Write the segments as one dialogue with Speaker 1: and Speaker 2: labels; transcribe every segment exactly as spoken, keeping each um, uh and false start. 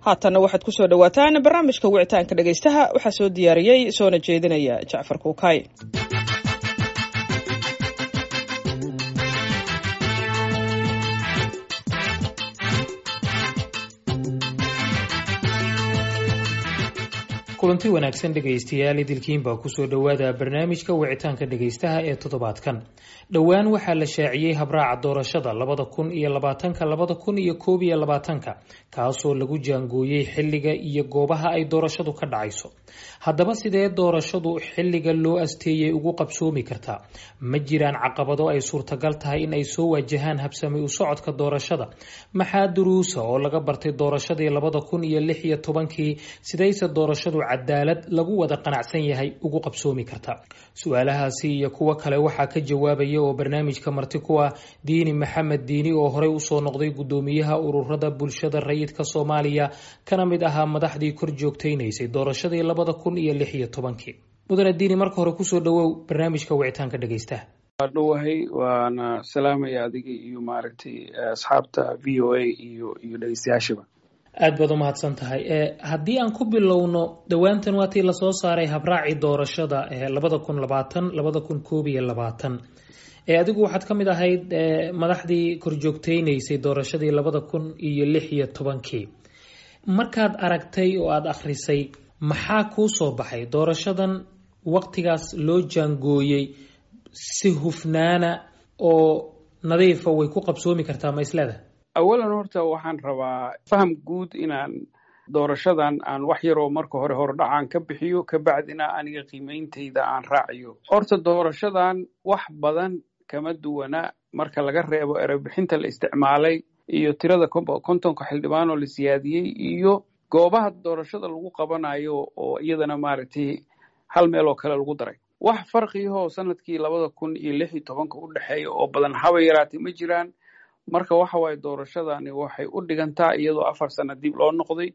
Speaker 1: Haatanna waxaad ku soo dhowaataan barnaamijka wicitaanka dhegaystaha. Waxaa soo diyaariyey soona jeedinaya Jacfar Kuukay.
Speaker 2: Kulanti wanaagsan dhegaystayaal, idilkiinbaa kusoo dhowaada barnaamijka wicitaanka dhegaystaha ee toddobaadkan. Dhowaan waxaa la shaaciyey habraaca doorashada labada kun iyo labaatanka labada kun iyo koob iyo labaatanka, kaasoo lagu jaangooyey xilliga iyo goobaha ay doorashadu ka dhacayso. Haddaba sidee doorashadu xilliga loo asteeyey ugu qabsoomi kartaa? Ma jiraan caqabado ay suurtagal tahay in ay soo waajahaan habsami u socodka doorashada? Maxaa duruusa oo laga bartay doorashadii labada kun iyo lix iyo tobankii? Sidayse doorashadu cadaalad lagu wada qanacsan yahay ugu qabsoomi karta? Su-aalahaasi iyo kuwo kale waxaa ka jawaabaya oo barnaamijka marti ku ah Diini Maxamed Diini, oo horey usoo noqday gudoomiyaha ururada bulshada rayidka Soomaaliya, kana mid ahaa madaxdii kor joogtaynaysay doorashadii labada kun iyo lix iyo tobankii. Mudane Diini, marka hore kusoo dhawow barnaamijka wicitaanka dhegaystaha.
Speaker 3: Waa dhowahay, waana salaamaya adiga iyo maaragtay asxaabta V O A iyo iyo dhegeystayaashiba.
Speaker 2: Aad baad umahadsan tahay. Haddii aan ku bilowno, dhowaantan waatii lasoo saaray habraacii doorashada labada kun labaatan labada kun koob iyo labaatan, adigu waxaad ka mid ahayd madaxdii korjoogtaynaysay doorashadii labada kun iyo lix iyo tobankii. Markaad aragtay oo aada akhrisay, maxaa kuu soo baxay? Doorashadan waqtigaas loo jaangooyey si hufnaana oo nadiifa way ku qabsoomi kartaa, ma isleedahay?
Speaker 3: Awalan horta waxaan rabaa faham guud inaan doorashadan aan wax yaroo marka hore hordhacaan ka bixiyo, kabacdina aniga qiimeyntayda aan raaciyo. Horta doorashadan wax badan kama duwana, marka laga reebo erebixinta la isticmaalay iyo tirada kontonka xildhibaan oo la siyaadiyey iyo goobaha doorashada lagu qabanayo oo iyadana maaragtay hal meel oo kale lagu daray. Wax farqiyahoo sanadkii labada kun iyo lix iyo tobanka u dhexeeya oo badan haba yaraatay ma jiraan. Marka waxa waaye, doorashadani waxay u dhigantaa iyadoo afar sano dib loo noqday.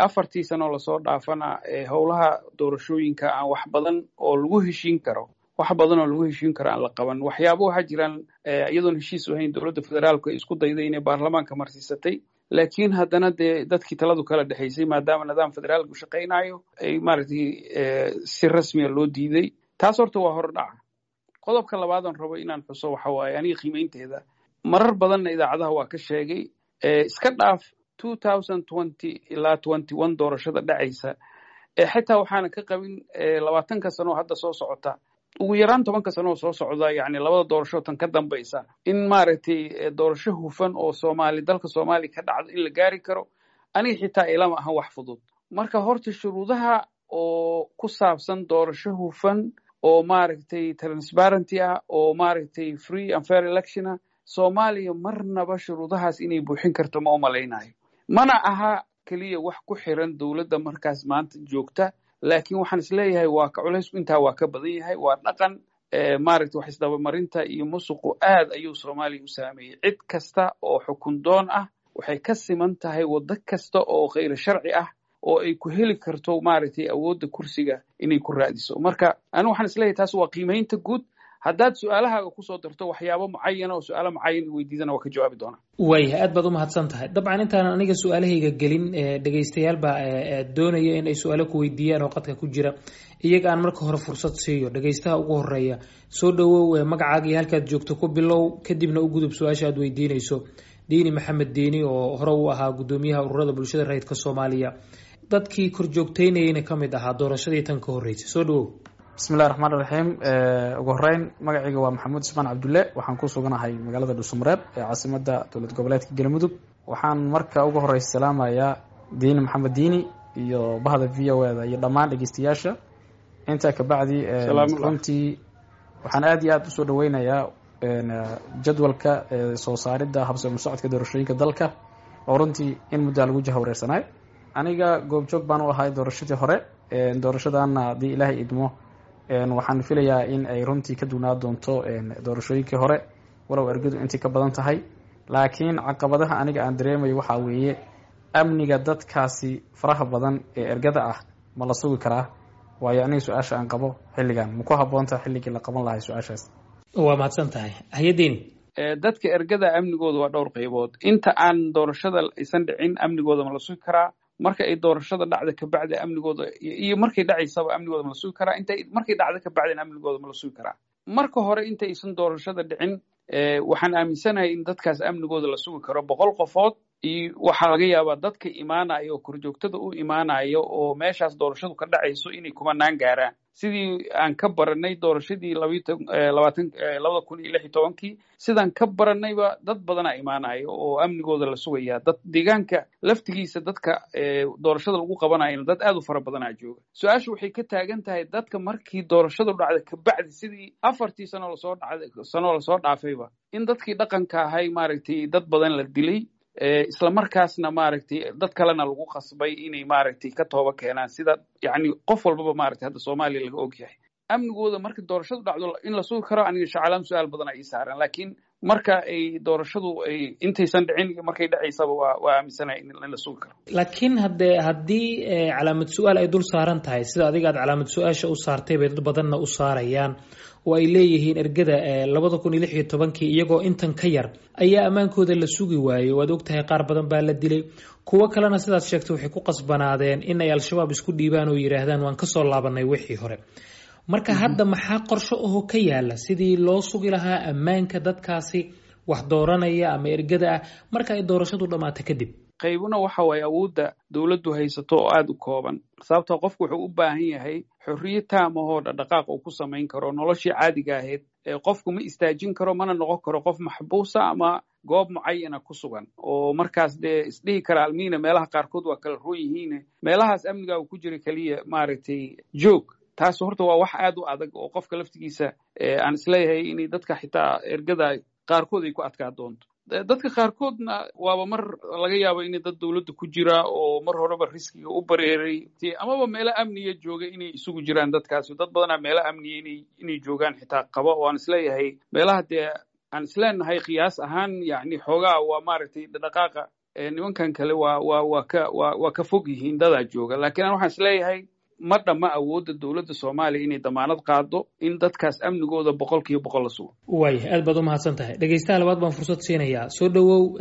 Speaker 3: Afartii sanoo lasoo dhaafana howlaha doorashooyinka aan wax badan oo lagu heshiin karo wax badan oo lagu heshiin karo aan la qaban. Waxyaaba waxaa jiraan iyadoon heshiis ahayn dowladda federaalku ay isku dayday inay baarlamaanka marsiisatay, laakiin haddana dee dadkii taladu kala dhexaysay, maadaama nidaam federaalku shaqaynayo, ay maaragtay si rasmiya loo diiday. Taas horta waa hordhaca. Qodobka labaad aan rabo inaan xuso waxa waaye, aniga qiimeynteeda marar badanna idaacadaha waa ka sheegay, iska dhaaf two thousand twenty ilaa twenty one doorashada dhacaysa, xitaa waxaana ka qabin labaatanka sano oo hadda soo socota, ugu yaraan tobanka sano oo soo socda, yacni labada doorasho tan ka dambaysa, in maaragtay doorasho hufan oo Soomaali dalka Soomaaliya ka dhacdo in la gaari karo, aniga xitaa ilama ahan wax fudud. Marka horta shuruudaha oo ku saabsan doorasho hufan oo maaragtay transparenty ah oo maaragtay free and fair election ah, Soomaaliya marnaba shuruudahaas inay buuxin karto ma umalaynayo. Mana aha keliya wax ku xiran dowladda markaas maanta joogta, laakiin waxaan isleeyahay waa ka culaysku intaa waa ka badan yahay. Waa dhaqan maaragtay wax isdabamarinta iyo musuqu aad ayuu Soomaaliya u saameeyey. Cid kasta oo xukun doon ah waxay ka siman tahay waddo kasta oo khayr sharci ah oo ay ku heli karto maaragtay awoodda kursiga inay ku raadiso. Marka anigu waxaan isleeyahay taas waa qiimeynta guud. Haddaad su-aalahaaga kusoo darto waxyaabo mucayana oo su-aalo mucayan weydiidana, waa ka jawaabi doonaa.
Speaker 2: Waayahay, aad baad umahadsan tahay. Dabcan intaanan aniga su-aalahayga gelin, dhegaystayaal baa doonaya in ay su-aalo ku weydiiyaan oo qadka ku jira. Iyaga aan marka hore fursad siiyo. Dhegaystaha ugu horeeya, soo dhawow, magacaaga iyo halkaad joogto ku bilow, kadibna u gudub su-aasha aad weydiinayso Diini Maxamed Diini, oo hore u ahaa gudoomiyaha ururada bulshada rayidka Soomaaliya, dadkii korjoogteynayeyna ka mid ahaa doorashadii tan ka horreysay. Soo dhawow.
Speaker 4: Bismillahi raxmaan raxiim. Ugu horeyn magacayga waa Maxamuud Ismaan Cabdulle, waxaan ku suganahay magaalada Dhuusamareeb ee caasimada dowlad goboleedka Galmudug. Waxaan marka ugu horeysa salaamayaa Diini Maxamed Diini iyo bahda V O A da iyo dhammaan dhegeystayaasha. Intaa kabacdi, runtii waxaan aad iyo aad usoo dhaweynayaa jadwalka soo saaridda habsami socodka doorashooyinka dalka, oo runtii in muddaa lagu jahwareersanaay. Aniga goobjoog baan u ahay doorashadii hore. Doorashadaana haddii Ilaahay idmo waxaan filayaa in ay runtii ka duwnaa doonto doorashooyinkii hore, walow ergadu intii ka badan tahay. Laakiin caqabadaha aniga aan dareemayo waxaa weeye amniga dadkaasi faraha badan ee ergada ah, ma la sugi karaa? Waayo aniga su-aasha aan qabo, xilligan ma ku habboontaha xilligii la qaban lahay su-aashaas?
Speaker 2: Waa mahadsan tahay, hayadiini.
Speaker 3: Dadka ergada amnigooda waa dhowr qaybood. Inta aan doorashada aysan dhicin amnigooda ma la sugi karaa? Marka ay doorashada dhacda kabacdi amnigooda iyo markay dhacaysaba amnigooda ma la sugi karaa? Inta markay dhacda kabacdina amnigooda ma la sugi karaa? Marka hore intaysan doorashada dhicin, waxaan aaminsanahay in dadkaas amnigooda la sugi karo. Boqol qofood iyo waxaa laga yaabaa dadka imaanaya oo korjoogtada u imaanaya oo meeshaas doorashadu ka dhacayso inay kumanaan gaaraan, sidii aan ka baranay doorashadii labaatan labada kun iyo lix iyo tobankii. Sidaan ka baranayba dad badanaa imaanaya oo amnigooda la sugaya. Dad deegaanka laftigiisa dadka doorashada lagu qabanayana dad aad u fara badanaa jooga. Su-aasha waxay ka taagan tahay dadka markii doorashadu dhacda kabacdi, sidii afartii sano lasoo dhacday sano lasoo dhaafayba, in dadkii dhaqanka ahay maaragtay dad badan la dilay, isla markaasna maaragtay dad kalena lagu qasbay inay maaragtay ka tooba keenaan, sida yacni qof walbaba maaragtay hadda Soomaaliya laga og yahay. Amnigooda marka doorashadu dhacdo in la sugi karo, aniga shacalaam su-aal badan ii saaran, laakiin marka ay doorashadu ay intaysan dhicin iyo markay dhacaysaba waa waa aaminsanahay in la sugi karo.
Speaker 2: Laakiin haddee haddii calaamad su-aal ay dul saaran tahay, sida adiga aad calaamad su-aasha u saartay bay dad badanna u saarayaan oo ay leeyihiin ergada labada kun iyo lix iyo tobankii iyagoo intan ka yar ayaa ammaankooda la sugi waayey. Waad ogtahay, qaar badan baa la dilay, kuwo kalena sidaad sheegtay waxay ku qasbanaadeen in ay Al-Shabaab isku dhiibaan oo yidhaahdaan waan kasoo laabanay wixii hore. Marka hadda maxaa qorsho ahoo ka yaala sidii loo sugi lahaa ammaanka dadkaasi wax dooranaya ama ergada ah marka ay doorashadu dhammaato kadib?
Speaker 3: Qaybuna waxa waaye awoodda dowladdu haysato oo aad u kooban, sababtoo qofku wuxuu u baahan yahay xorriyad taam ahoo dhaqdhaqaaq uu ku samayn karo noloshii caadiga ahayd. Qofku ma istaajin karo, mana noqon karo qof maxbuusa ama goob mucayana ku sugan oo markaas dee isdhihi kara almiina meelaha qaarkood waa kala roon yihiine, meelahaas amniga uu ku jira keliya maaragtay joog. Taas horta waa wax aad u adag oo qofka laftigiisa aan isleeyahay inay dadka xitaa ergada qaarkood ay ku adkaa doonto. Dadka qaarkoodna waaba mar laga yaabo inay dad dowladda ku jira oo mar horeba riskiga u bareeray amaba meelo amniya jooga inay isugu jiraan dadkaasi. Dad badanaa meelo amniya inay inay joogaan xitaa qaba oo aan isleeyahay meelaha dee aan isleenahay qiyaas ahaan yacni xoogaa waa maaragtay dhaqaaqa nimankan kale waa waa waa ka waa waa ka fog yihiin dadaa jooga. Laakiin aan waxaan isleeyahay ma dhamma awoodda dowladda Soomaaliya inay damaanad qaado in dadkaas amnigooda boqol kiiba boqol la sugo.
Speaker 2: Waaya, aad baad umahadsan tahay. Dhegeystaha labaad baan fursad siinayaa. Soo dhowow,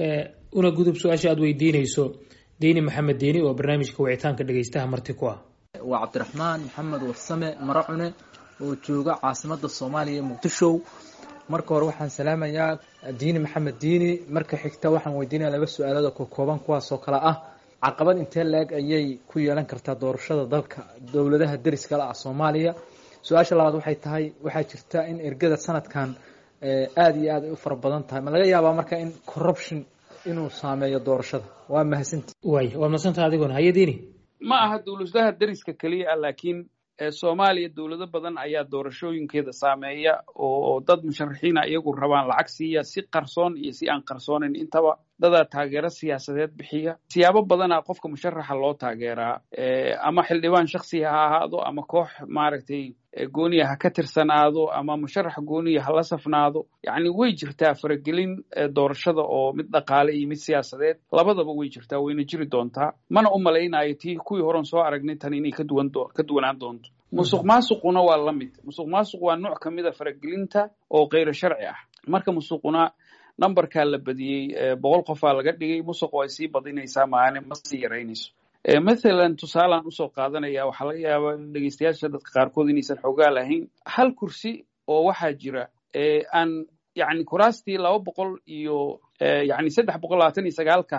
Speaker 2: una gudub su-aasha aad weydiinayso Diini Maxamed Diini oo barnaamijka wicitaanka dhegeystaha marti ku ah.
Speaker 5: Waa Cabdiraxmaan Maxamed Warsame Maracune oo jooga caasimadda Soomaaliya, Muqdisho. Marka hore waxaan salaamayaa Diini Maxamed Diini. Marka xigta waxaan weydiinaya laba su-aalood oo kakooban, kuwaas oo kale ah: caqabad intee la-eg ayay ku yeelan kartaa doorashada dalka dowladaha deriska la ah Soomaaliya? Su-aasha labaad waxay tahay, waxaa jirta in ergada sanadkan aada iyo aad ay u fara badan tahay, ma laga yaabaa marka in corruption inuu saameeyo doorashada? Waa mahadsanti.
Speaker 2: Waaya, waad mahadsantaha adiguna. Haye Diini.
Speaker 3: Ma aha dowladaha deriska keliya ah, laakiin Soomaaliya dowlado badan ayaa doorashooyinkeeda saameeya oo dad musharaxiina iyagu rabaan lacag siiya, si qarsoon iyo si aan qarsoonin intaba. Dadaa taageero siyaasadeed bixiya. Siyaabo badanaa qofka musharaxa loo taageeraa, ama xildhibaan shaksiya ha ahaado, ama koox maaragtay gooniya ha ka tirsanaado, ama musharax gooniya ha la safnaado. Yacni way jirtaa faragelin doorashada oo mid dhaqaale iyo mid siyaasadeed labadaba way jirtaa, wayna jiri doontaa. Mana u malaynayo tii kuwii horan soo aragnay tan inay ka duwan ka duwanaan doonto. Musuq maasuquna waa la mid. Musuq maasuq waa nooc ka mid a faragelinta oo kayro sharci ah. Marka musuquna numberkaa la badiyey, boqol qofaa laga dhigay, musuq ay sii badinaysaa maane ma sii yaraynayso. Mathalan tusaalaan usoo qaadanaya, waxaa laga yaabaa dhegeystayaasha dadka qaarkood inaysan xoogaa lahayn. Hal kursi oo waxaa jira aan yacni kuraastii laba boqol iyo yacni saddex boqol labaatan iyo sagaalka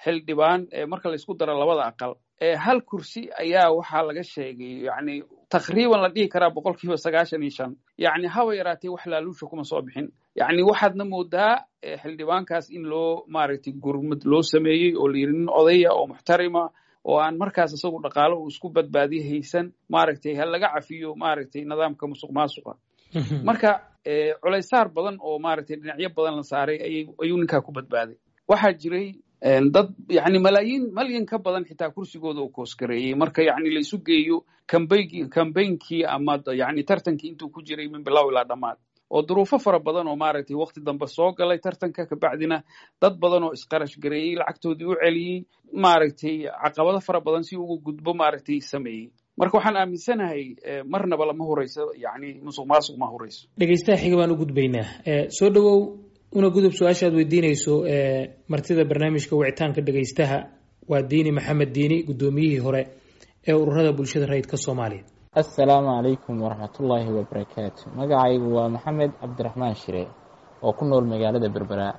Speaker 3: xildhibaan marka laysku daro labada aqal, hal kursi ayaa waxaa laga sheegay yacni taqriiban la dhihi karaa boqol kiiba sagaashan iyo shan yacni haba yaraatee wax laaluusha kuma soo bixin. Yacni waxaadna moodaa xildhibaankaas in loo maaragtay gurmad loo sameeyey oo la yidhi nin odaya oo muxtarima oo aan markaas isagu dhaqaalo uu isku badbaadiyo haysan, maaragtay ha laga cafiyo maaragtay nidaamka musuq maasuqa. Marka culaysaar badan oo maaragtay dhinacyo badan la saaray ayay ayuu ninkaa ku badbaaday. Waxaa jiray dad yacni malaayiin malyan ka badan xitaa kursigooda uu koosgareeyey marka yacni la isu geeyo kambaygi kambeynkii ama yacni tartankii intuu ku jiray min bilow ilaa dhammaad, oo duruufo fara badan oo maaragtay waqti dambe soo galay tartanka, kabacdina dad badan oo isqarash gareeyey lacagtoodii u celiyey, maaragtay caqabado fara badan si ugu gudbo maaragtay sameeyey. Marka waxaan aaminsanahay marnaba lama hurayso, yacni musuq maasuq ma hurayso.
Speaker 2: Dhegeystaha xiga baan u gudbaynaa. Soo dhowow, una gudub su-aasha aad weydiinayso martida barnaamijka wicitaanka dhegeystaha. Waa Diini Maxamed Diini, guddoomiyihii hore ee ururada bulshada rayidka Soomaaliya.
Speaker 6: Assalaamu calaykum waraxmatullaahi wabarakaatu. Magacaygu waa Maxamed Cabdiraxmaan Shire oo ku nool magaalada Berbera.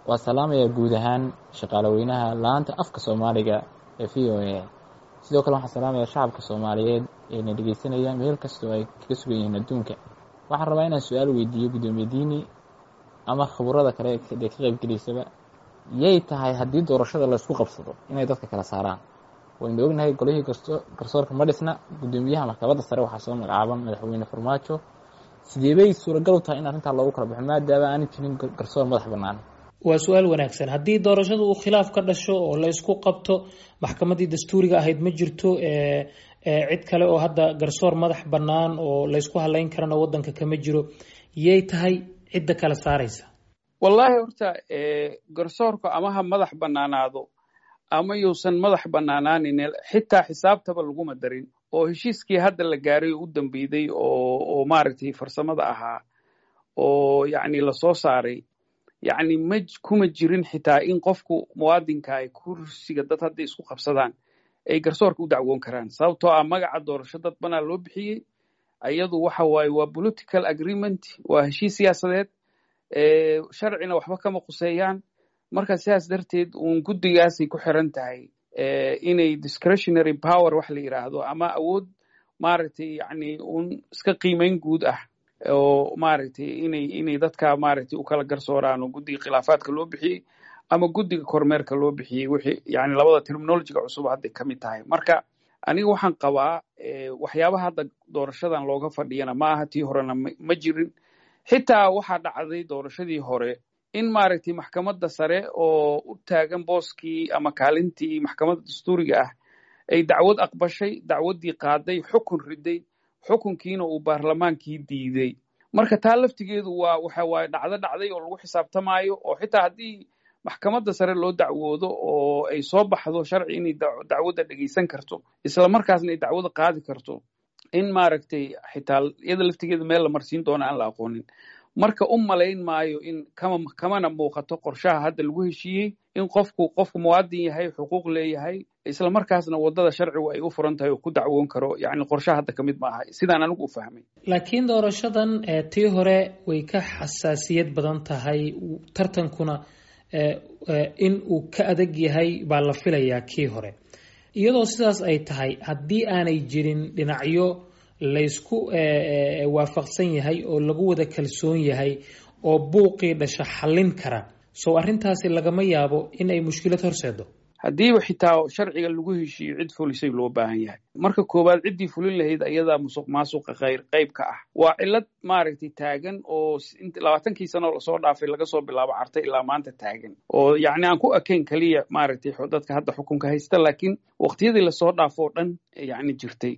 Speaker 6: Waa salaamayaa guud ahaan shaqaalaweynaha laanta afka Soomaaliga ee V O A. Sidoo kale waxaan salaamayaa shacabka Soomaaliyeed ee na dhegeysanaya meel kastoo ay kaga sugan yihiin adduunka. Waxaan rabaa inaan su-aal weydiiyo guddoomiye Diini ama khuburada kale ee ka qaybgelaysaba: yay tahay haddii doorashada laysku qabsado inay dadka kala saaraan? Waynu ognahay golihii garsoorka ma dhisna, guddoomiyaha maxkamadda sare waxaa soo magacaaban madaxweyne Farmaajo. Sidee bay suuragal u tahay in arrintaa loogu kala baxo maadaama aanan jirin garsoor madax bannaan?
Speaker 2: Waa su-aal wanaagsan. Haddii doorashada uu khilaaf ka dhasho oo la isku qabto, maxkamaddii dastuuriga ahayd ma jirto, cid kale oo hadda garsoor madax bannaan oo laysku halayn karana waddanka kama jiro, yay tahay cidda kala saaraysa?
Speaker 3: Wallaahi horta garsoorku ama ha madax bannaanaado ama yuusan madax bannaanaanin, xitaa xisaabtaba laguma darin oo heshiiskii hadda la gaaray oo u dambeeyey oo oo maaragtay farsamada ahaa oo yacni lasoo saaray, yacni ma kuma jirin xitaa in qofku muwaadinka ay kursiga dad hadday isku qabsadaan ay garsoorka u dacwoon karaan, sababtoo ah magaca doorasho dad banaa loo bixiyey. Ayadu waxa waaye waa political agreement, waa heshiis siyaasadeed, sharcina waxba kama quseeyaan. Marka sidaas darteed uun guddigaasay ku xiran tahay inay discretionary power wax la yidhaahdo ama awood maaragtay yacni uun iska qiimeyn guud ah oo maaragtay inay inay dadka maaragtay u kala garsooraan oo guddiga khilaafaadka loo bixiyey ama guddiga kormeerka loo bixiyey, wixii yani labada terminologyga cusub hadday ka mid tahay. Marka aniga waxaan qabaa waxyaabaha hadda doorashadan looga fadhiyana ma aha, tii horena ma jirin. Xitaa waxaa dhacday doorashadii hore in maaragtay maxkamadda sare oo u taagan booskii ama kaalintii maxkamadda dastuuriga ah ay dacwad aqbashay, dacwaddii qaaday, xukun riday, xukunkiina uu baarlamaankii diiday. Marka taa laftigeedu waa waxa waaye dhacdo dhacday oo lagu xisaabtamaayo, oo xitaa haddii maxkamadda sare loo dacwoodo oo ay soo baxdo sharci inay dacwadda dhegeysan karto, isla markaasna ay dacwada qaadi karto, in maaragtay xitaa iyada laftigeeda meel la marsiin doono aan la aqoonin. Marka u malayn maayo in kama kamana muuqato qorshaha hadda lagu heshiiyey in qofku qofku muwaadin yahay, xuquuq leeyahay, isla markaasna waddada sharcigu ay u furan tahay oo ku dacwoon karo. Yacni qorshaha hadda ka mid ma aha sidaan anigu u fahmay.
Speaker 2: Laakiin doorashadan tii hore way ka xasaasiyad badan tahay, tartankuna in uu ka adag yahay baa la filayaa kii hore. Iyadoo sidaas ay tahay, haddii aanay jirin dhinacyo laysku waafaqsan yahay oo lagu wada kalsoon yahay oo buuqii dhasha xallin kara, sow arrintaasi lagama yaabo in ay mushkilad horseedo?
Speaker 3: Haddiiba xitaa sharciga lagu heshiiyo, cid fulisay loo baahan yahay. Marka koowaad ciddii fulin lahayd ayadaa musuq maasuqa khayr qayb ka ah. Waa cillad maaragtay taagan oo labaatankii sano lasoo dhaafay, laga soo bilaabo Carta ilaa maanta taagan, oo yacni aan ku ekayn keliya maaragtay dadka hadda xukunka haysta, laakiin waqtiyadii lasoo dhaafo oo dhan yacni jirtay.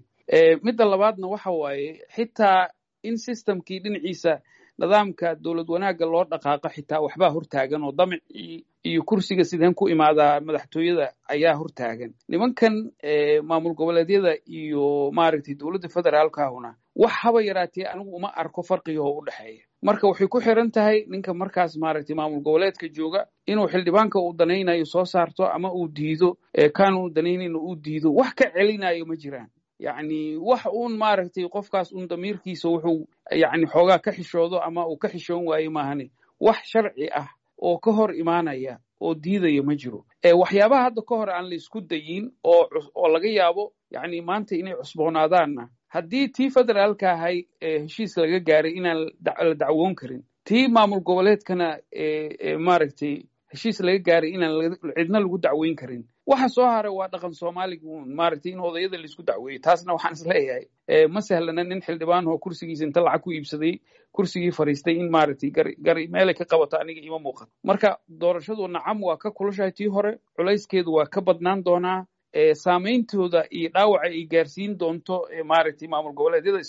Speaker 3: Midda labaadna waxa waaye xitaa in systemkii dhinaciisa nidaamka dowlad wanaagga loo dhaqaaqo xitaa waxbaa hortaagan, oo damicii iyo kursiga sideen ku imaadaa madaxtooyada ayaa hortaagan. Nimankan maamul goboleedyada iyo maaragtay dowladda federaalkaahuna wax haba yaraatee anigu uma arko farqigahoo u dhexeeya. Marka waxay ku xiran tahay ninka markaas maaragtay maamul goboleedka jooga inuu xildhibaanka uu danaynayo soo saarto ama uu diido, kaan uu danaynayno uu diido. Wax ka celinayo ma jiraan, yacni wax uun maaragtay qofkaas uun damiirkiisa wuxuu yacni xoogaa ka xishoodo ama uu ka xishoon waayo maahane, wax sharci ah oo ka hor imaanaya oo diidaya ma jiro. Waxyaabaha hadda ka hor aan la isku dayin oo oo laga yaabo yacni maanta inay cusboonaadaanna, haddii tii federaalka ahay heshiis laga gaaray inaan la dacwoon karin, tii maamul goboleedkana maaragtay heshiis laga gaaray inaan cidna lagu dacweyn karin, waxa soo haray waa dhaqan Soomaaliga uun maaragtay in odayada laisku dacweeyo. Taasna waxaan isleeyahay ma sahlana nin xildhibaan oo kursigiisa inta lacag ku iibsaday kursigii fariistay in maaragtay gari gari meelay ka qabato aniga ima muuqato. Marka doorashadu nacam waa ka kulushahay tii hore, culayskeedu waa ka badnaan doonaa, saameyntooda iyo dhaawaca ay gaarsiin doonto maaragtay maamul goboleedyada,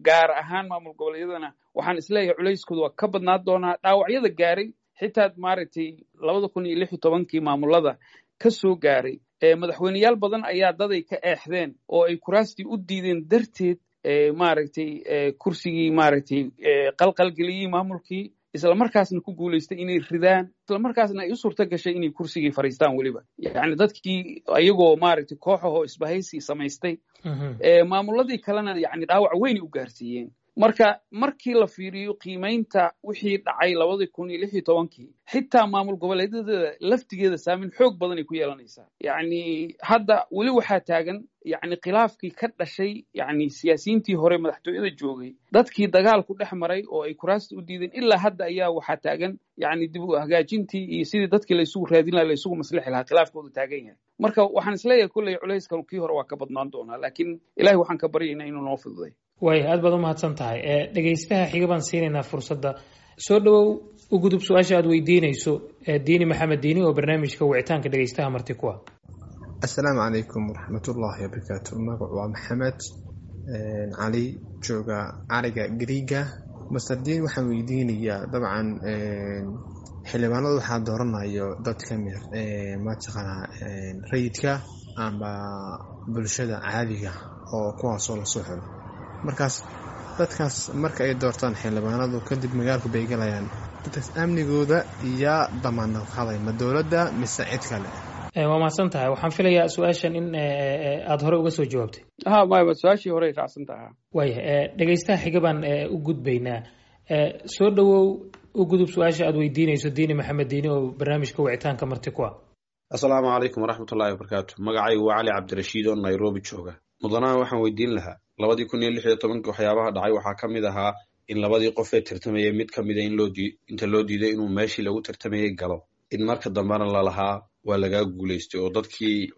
Speaker 3: gaar ahaan maamul goboleedyadana waxaan isleeyahay culayskooda waa ka badnaan doonaa. Dhaawacyada gaaray xitaa maaragtay labada kun iyo lix iyo tobankii maamulada ka soo gaaray, madaxweyneyaal badan ayaa daday ka eexdeen oo ay kuraastii u diideen darteed maaragtay kursigii maaragtay qalqalgeliyey maamulkii. Isla markaasna ku guulaystay inay ridaan, isla markaasna ay u suurto gashay inay kursigii fariistaan weliba, yacni dadkii ayagoo maaragtay kooxahoo isbahaysi samaystay, maamuladii kalena yacni dhaawac weynay u gaarsiiyeen. Marka markii la fiiriyo qiimaynta wixii dhacay labadii kun iyo lix iyo tobankii, xitaa maamul goboleedyada laftigeeda saameyn xoog badan ay ku yeelanaysaa. Yacni hadda weli waxaa taagan yacni khilaafkii ka dhashay yacni siyaasiyiintii hore madaxtooyada joogay, dadkii dagaalku dhex maray oo ay kuraasta u diideen, ilaa hadda ayaa waxaa taagan yacni dib u hagaajintii iyo sidii dadkii laysugu raadin lahaa, laysugu maslixi lahaa, khilaafkoodu taagan yahay. Marka waxaan isleeyahay kolley culayska kii hore waa ka badnaan doonaa, laakiin Ilahay waxaan ka baryaynaa inuu noo fududay.
Speaker 2: Waaya, aad baad umahadsan tahay. Dhegaystaha xiga baan siinaynaa fursadda. Soo dhawow, u gudub su-aasha aad weydiinayso Diini Maxamed Diini oo barnaamijka wicitaanka dhegaystaha marti ku ah.
Speaker 7: Assalaamu calaykum waraxmatullaahi wabarakaatu. Magacu waa Maxamed Cali, jooga cariga Gariiga. Master Diin waxaan weydiinayaa, dabcan xildhibaanada waxaa dooranayo dad ka mid mataqaanaa rayidka amba bulshada caadiga oo kuwaasoo lasoo xulo. Markaas dadkaas marka ay doortaan xildhibaanadu kadib magaalku bay galayaan, dadkaas amnigooda yaa damaanad qaaday, ma dowladda mise cid kale?
Speaker 2: Waa mahadsan tahay. Waxaan filayaa su-aashan in aada hore uga soo jawaabtay.
Speaker 3: Ha, maya, su-aashii horey raacsan taha.
Speaker 2: Waaya, dhegaystaha xiga baan u gudbaynaa. Soo dhawow, u gudub su-aasha aad weydiinayso Diini Maxamed Diini oo barnaamijka wicitaanka marti ku ah.
Speaker 8: Assalaamu calaykum waraxmatullahi wabarakaatu. Magacaygu waa Cali Cabdirashiid oo Nairobi jooga. Mudanaha waxaan weydiin lahaa, labadii kun iyo lix iyo tobankii waxyaabaha dhacay waxaa ka mid ahaa in labadii qof ee tartamayay mid ka mida in loo dii inta loo diiday inuu meeshii lagu tartamayay galo, in marka dambena lalahaa waa lagaa guulaystay oo dadkii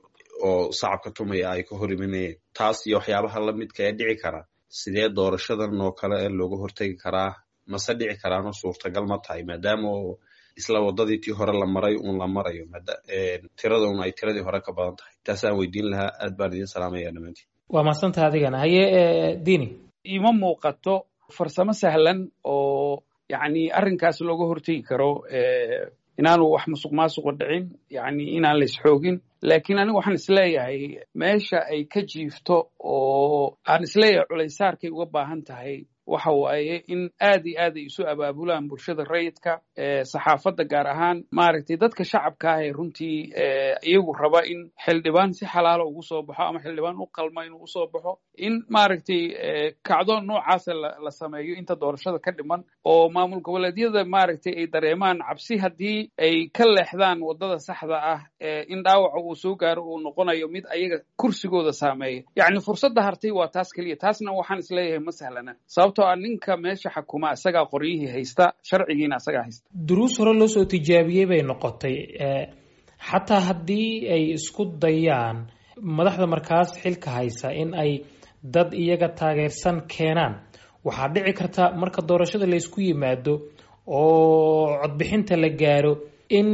Speaker 8: oo sacabka tumaya ay ka hor imanayeen. Taas iyo waxyaabaha lamidka ee dhici kara, sidee doorashadan oo kale ee looga hortegi karaa? Mase dhici karaanoo suurtagal ma tahay, maadaama oo isla waddadii tii hore la maray uun la marayo, tirada un ay tiradii hore ka badan tahay? Taasaan weydiin lahaa. Aad baan idin salaamaya dhammaantiin.
Speaker 2: Waa mahadsantaha adigana. Haye Diini.
Speaker 3: Ima muuqato farsamo sahlan oo yacni arrinkaas looga hortegi karo inaanu wax musuq maasuqa dhicin, yacni inaan la isxoogin. Laakiin anigu waxaan isleeyahay meesha ay ka jiifto oo aan isleeyahay culaysaarkay uga baahan tahay waxa waaye in aad iyo aad ay isu abaabulaan bulshada rayidka, saxaafadda gaar ahaan, maaragtay dadka shacabka ah ee runtii iyagu raba in xildhibaan si xalaalo ugu soo baxo ama xildhibaan u qalma inuu usoo baxo, in maaragtay kacdoon noocaasa la sameeyo inta doorashada ka dhiman, oo maamul goboleedyada maaragtay ay dareemaan cabsi haddii ay ka leexdaan waddada saxda ah in dhaawaca uu soo gaaro uu noqonayo mid ayaga kursigooda saameeya. Yacni fursadda hartay waa taas keliya, taasna waxaan isleeyahay ma sahlana, sababtoo ah ninka meesha xakuma isagaa qoryihii haysta, sharcigiina isagaa haysta.
Speaker 2: Duruus hore loo soo tijaabiyey bay noqotay. Xataa haddii ay isku dayaan madaxda markaas xilka haysa in ay dad iyaga taageersan keenaan, waxaa dhici karta marka doorashada laysku yimaado oo codbixinta la gaaro in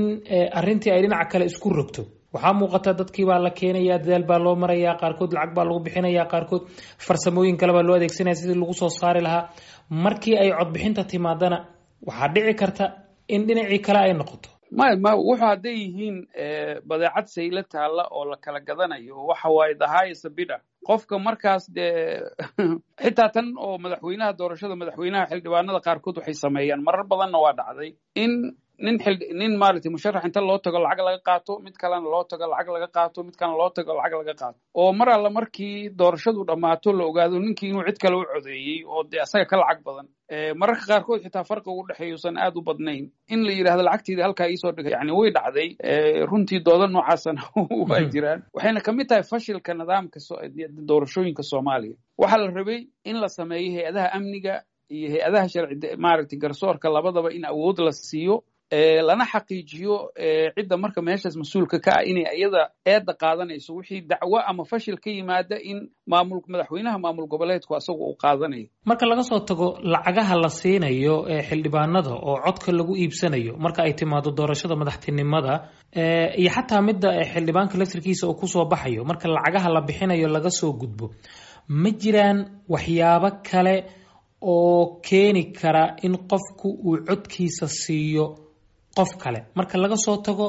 Speaker 2: arrintii ay dhinaca kale isku rogto. Waxaa muuqata dadkii baa la keenaya, dadaal baa loo marayaa, qaarkood lacag baa lagu bixinaya, qaarkood farsamooyin kale baa loo adeegsanaya sidii lagu soo saari lahaa. Markii ay codbixinta timaadana waxaa dhici karta in dhinacii kale ay noqoto.
Speaker 3: Maya, ma wuxuu hadday yihiin badeecad sayla taalla oo la kala gadanayo, waxa waaye the highest bidder qofka markaas dee. Xitaa tan oo madaxweynaha, doorashada madaxweynaha, xildhibaanada qaarkood waxay sameeyaan, marar badanna waa dhacday, in nin xil nin maaragtay musharax inta loo tago lacag laga qaato, mid kalena loo tago lacag laga qaato, mid kalena loo tago lacag laga qaato, oo mar alla markii doorashadu dhammaato la ogaado ninkii inuu cid kale u codeeyey oo dee asaga ka lacag badan, mararka qaarkood xitaa farqiga u dhexeeya usan aad u badnayn, in la yidhahdo lacagteeda halkaa iisoo dhigay. Yani way dhacday runtii, dooda noocaasana waa jiraan, waxayna kamid tahay fashilka nidaamka doorashooyinka Soomaaliya. Waxaa la rabay in la sameeyo hay-adaha amniga iyo hay-adaha sharci maaragtay garsoorka labadaba in awood la siiyo, lana xaqiijiyo cidda marka meeshaas mas-uulka ka ah inay iyada eedda qaadanayso wixii dacwo ama fashil ka yimaada, in maamul madaxweynaha maamul goboleedku asagu uu qaadanayo.
Speaker 2: Marka laga soo tago lacagaha la siinayo ee xildhibaanada oo codka lagu iibsanayo marka ay timaado doorashada madaxtinimada iyo xataa midda xildhibaanka laftirkiisa uu kusoo baxayo, marka lacagaha la bixinayo laga soo gudbo, ma jiraan waxyaabo kale oo keeni kara in qofku uu codkiisa siiyo qof kale marka laga soo tago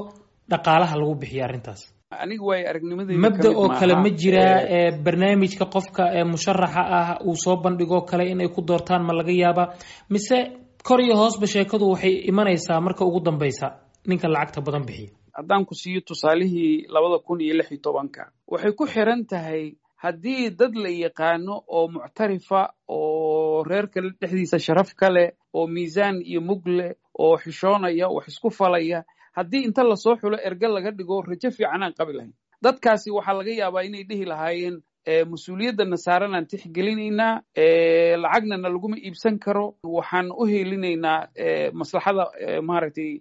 Speaker 2: dhaqaalaha lagu bixiyo arrintaas?
Speaker 3: Aniga waay aragnimadayda
Speaker 2: mabda oo kale ma jiraa barnaamijka qofka ee musharaxa ah uu soo bandhigoo kale inay ku doortaan, ma laga yaabaa mise Kor iyo hoosba sheekadu waxay imanaysaa marka ugu dambaysa ninka lacagta badan bixiya.
Speaker 3: Haddaan ku siiyo tusaalihii labada kun iyo lix iyo tobanka, waxay ku xiran tahay haddii dad la yaqaano oo muctarifa oo reerka dhexdiisa sharaf ka leh oo miisaan iyo mug leh oo xishoonaya, wax isku falaya, haddii inta lasoo xulo erge laga dhigo, rajo fiican aan qabi lahayn. Dadkaasi waxaa laga yaabaa inay dhihi lahaayeen, mas-uuliyadana saaran aan tixgelinaynaa, lacagna na laguma iibsan karo, waxaan u helinaynaa maslaxada maaragtay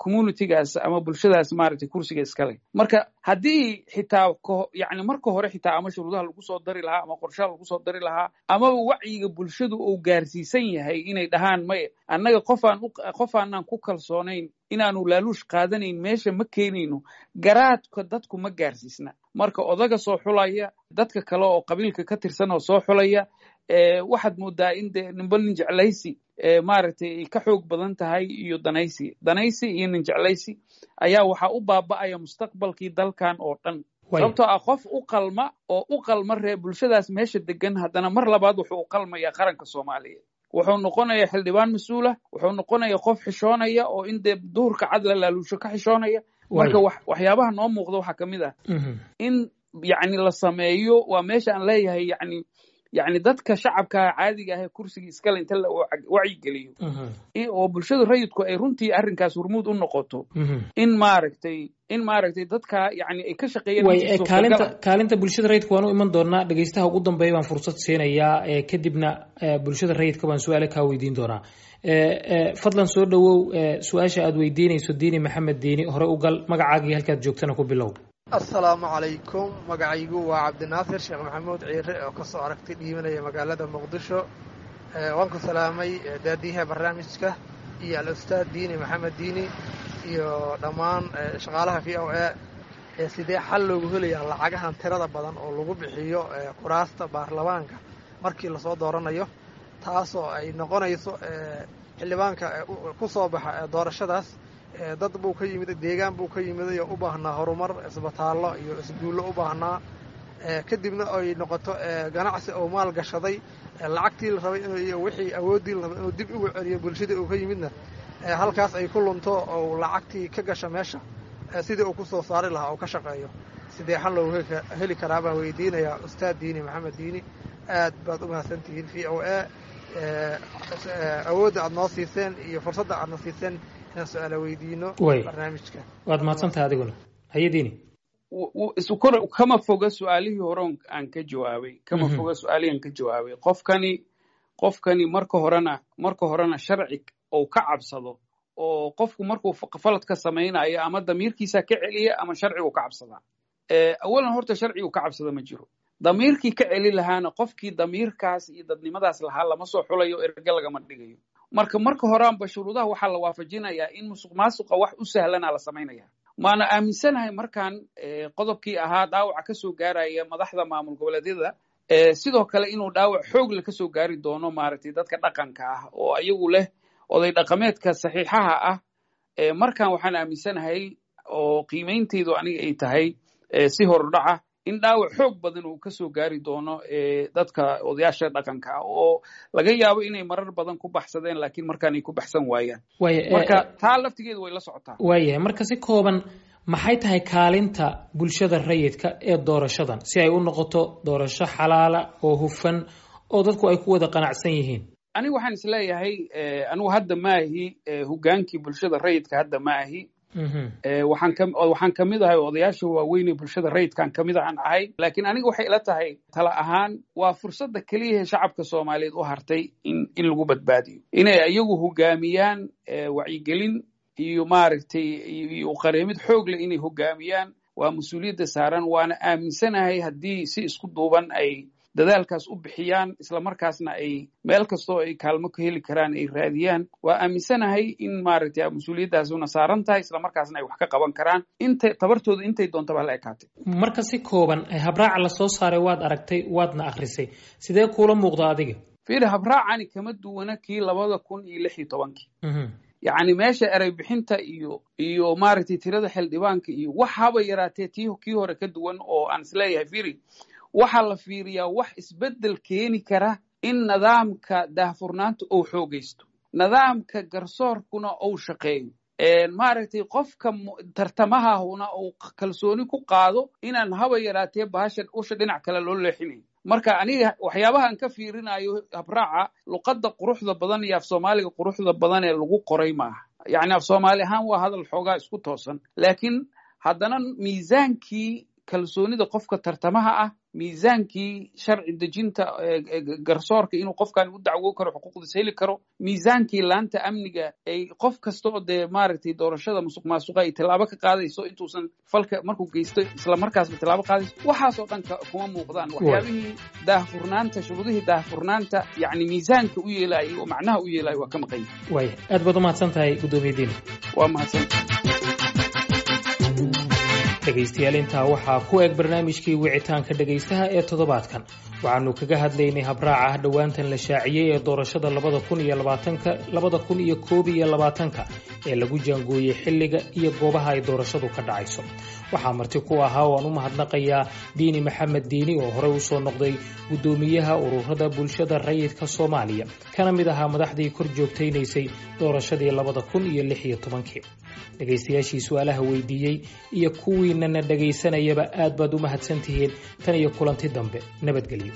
Speaker 3: communitygaas ama bulshadaas maaragtay kursiga iskale. Marka haddii xitaa yani marka hore xitaa ama shuruudaha lagu soo dari lahaa ama qorshaha lagu soo dari lahaa amaba wacyiga bulshadu uu gaarsiisan yahay inay dhahaan, maya, annaga qofaan qof aanaan ku kalsoonayn inaanu laaluush qaadanayn meesha ma keenayno, garaadka dadku ma gaarsiisna. Marka odaga soo xulaya, dadka kale oo qabiilka ka tirsan oo soo xulaya, waxaad moodaa in de ninba nin jeclaysi maaragtay ay ka xoog badan tahay iyo danaysi danaysi iyo nin jeclaysi ayaa waxaa u baaba'aya mustaqbalkii dalkan oo dhan, sababtoo ah qof u qalma oo u qalma ree bulshadaas meesha degan haddana mar labaad wuxuu u qalmayaa qaranka Soomaaliyeed, wuxuu noqonayaa xildhibaan mas-uula, wuxuu noqonayaa qof xishoonaya oo in dee duhurka cad la laaluusho ka xishoonaya. Marka waxyaabaha noo muuqda waxaa ka mid ah in yacni la sameeyo, waa meesha aan leeyahay, yacni yacni dadka shacabka caadiga ah ee kursiga iskale inta la wacyigeliyo oo bulshada rayidku ay runtii arrinkaas hormuud u noqoto, in maaragtay in maaragtay dadka yacni ay ka shaqeeyaan.
Speaker 2: Kaalinta kaalinta bulshada rayidka waan u iman doonaa. Dhegeystaha ugu dambeeya baan fursad siinayaa, kadibna bulshada rayidka baan su-aale kaa weydiin doonaa. Fadlan soo dhowow, su-aasha aad weydiinayso Diini Maxamed Diini hore u gal, magacaagii halkaad joogtana ku bilow.
Speaker 9: Assalaamu calaykum, magacaygu waa Cabdinaasir Sheekh Maxamuud Ciire oo kasoo aragti dhiibanaya magaalada Muqdisho. Waan ku salaamay daadiyaha barnaamijka iyo al-ustaad Diini Maxamed Diini iyo dhammaan shaqaalaha V O A. Sidee xal loogu helayaa lacagahan tirada badan oo lagu bixiyo kuraasta baarlamaanka markii lasoo dooranayo, taasoo ay noqonayso xildhibaanka ku soo baxa doorashadaas dad buu ka yimid, deegaan buu ka yimiday oo u baahnaa horumar, isbitaallo iyo isguullo u baahnaa, kadibna ay noqoto ganacsi oo maal gashaday lacagtii la rabay inuu wixii awooddii la rabay inuu dib ugu celiyo bulshadii uu ka yimidna halkaas ay ku lunto oo lacagtii ka gasha meesha sidii uu ku soo saari lahaa oo ka shaqeeyo? Sidee xal loogu heli karaa baan weydiinayaa ustaad Diini Maxamed Diini. Aad baad u mahadsantihiin V O A, awoodda aad noo siiseen iyo fursadda aadna siiseen inaan su-aala weydiino barnaamijka.
Speaker 2: Waad mahadsantahay adiguna. Haye Diini.
Speaker 3: Kama foga su-aalihii hore aan ka jawaabay, kama foga su-aalihii aan ka jawaabay. Qofkani qofkani marka horena marka horena sharci ou ka cabsado oo qofku markuu falad ka samaynayo ama damiirkiisa ka celiya ama sharcigu ka cabsadaa. Awalan horta sharcigu ka cabsada ma jiro, damiirkii ka celi lahaana, qofkii damiirkaas iyo dadnimadaas lahaa lama soo xulayo, erge lagama dhigayo. Marka marka horaanba shuruudaha waxaa la waafajinayaa in musuq maasuqa wax u sahlana la samaynaya. Maana aaminsanahay markaan qodobkii ahaa dhaawaca ka soo gaaraya madaxda maamul goboleedyada, sidoo kale inuu dhaawac xoog le kasoo gaari doono maaragtay dadka dhaqanka ah oo ayagu leh oday dhaqameedka saxiixaha ah. Markan waxaan aaminsanahay oo qiimeynteydu aniga ay tahay si horudhaca in dhaawac xoog badan uu kasoo gaari doono dadka odayaasha dhaqanka ah oo laga yaabo inay marar badan ku baxsadeen, laakiin markaan ay ku baxsan waayaan. Marka taa laftigeedu way la socotaa.
Speaker 2: Waayahay, marka si kooban, maxay tahay kaalinta bulshada rayidka ee doorashadan si ay u noqoto doorasho xalaala oo hufan oo dadku ay ku wada qanacsan yihiin?
Speaker 3: Anigu waxaan isleeyahay, anigu hadda maahi hogaankii bulshada rayidka, hadda maahi. waxaan ka waxaan kamid ahay odayaasha waaweyn ee bulshada rayidkaan kamid ahaan ahay, laakiin aniga waxay ila tahay tala ahaan waa fursadda keliya ee shacabka Soomaaliyeed u hartay in in lagu badbaadiyo inay iyagu hogaamiyaan wacyigelin iyo maaragtay iyo qareemid xoog leh inay hogaamiyaan. Waa mas-uuliyadda saaran, waana aaminsanahay haddii si isku duuban ay dadaalkaas u bixiyaan, islamarkaasna ay meel kastoo ay kaalmo ka heli karaan ay raadiyaan, waa aaminsanahay in maaragtay mas-uuliyaddaasuna saaran tahay, islamarkaasna ay wax ka qaban karaan intay tabartooda intay doontaba la ekaatay.
Speaker 2: Marka si kooban, habraaca la soo saaray waad aragtay, waadna akhrisay, sidee kuula muuqda adiga?
Speaker 3: Fiiri, habraacani kama duwana kii labada kun iyo lix iyo tobankii. Yacni meesha erey bixinta iyo iyo maaragtay tirada xildhibaanka iyo waxaaba yaraatee tii kii hore ka duwan oo aan isleeyahay, fiiri, waxaa la fiiriyaa wax isbeddel keeni kara in nidaamka daahfurnaanta uu xoogaysto. Nidaamka garsoorkuna uu shaqeeyo, maaragtay, qofka tartamahahuna uu kalsooni ku qaado inaan haba yaraatee bahashan usha dhinac kale loo leexinayn. Marka aniga waxyaabahan ka fiirinayo habraaca, luqadda quruxda badan iyo af Soomaaliga quruxda badan ee lagu qoray maaha. Yacni, af Soomaali ahaan waa hadal xoogaa isku toosan, laakiin haddana miisaankii kalsoonida qofka tartamaha ah, miisaankii sharci dejinta, garsoorka inuu qofkan u dacwo karo, xuquuqdiis heli karo, miisaankii laanta amniga ay qof kasta oo dee, maaragtay, doorashada musuq maasuqa ay tallaabo ka qaadayso intuusan falka markuu geysto isla markaasba tallaabo qaadayso, waxaasoo dhan kuma muuqdaan. Waxyaabihii daahfurnaanta, shuruudihii daahfurnaanta, yacni miisaanka u yeelayay oo macnaha u yeelaya waa ka maqan.
Speaker 2: Waaya, aad baad umahadsan tahay, guddoomiye Diini.
Speaker 3: Waa mahadsan.
Speaker 2: Dhegaystayaal, intaa waxaa ku eg barnaamijkii wicitaanka dhegaystaha ee toddobaadkan. Waxaanu kaga hadlaynay habraaca dhowaantan la shaaciyey ee doorashada labada kun iyo labaatanka labada kun iyo koob iyo labaatanka ee lagu jaangooyey xilliga iyo goobaha ay doorashadu ka dhacayso. Waxaa marti ku ahaa oo aan u mahadnaqayaa Diini Maxamed Diini oo horey usoo noqday guddoomiyaha ururada bulshada rayidka Soomaaliya, kana mid ahaa madaxdii kor joogtaynaysay doorashadii labada kun iyo lix iyo tobankii. Dhegaystayaashii su-aalaha weydiiyey iyo kuwiinana dhegaysanayaba aad baad u mahadsantihiin. Tan iyo kulanti dambe, nabadgelyo.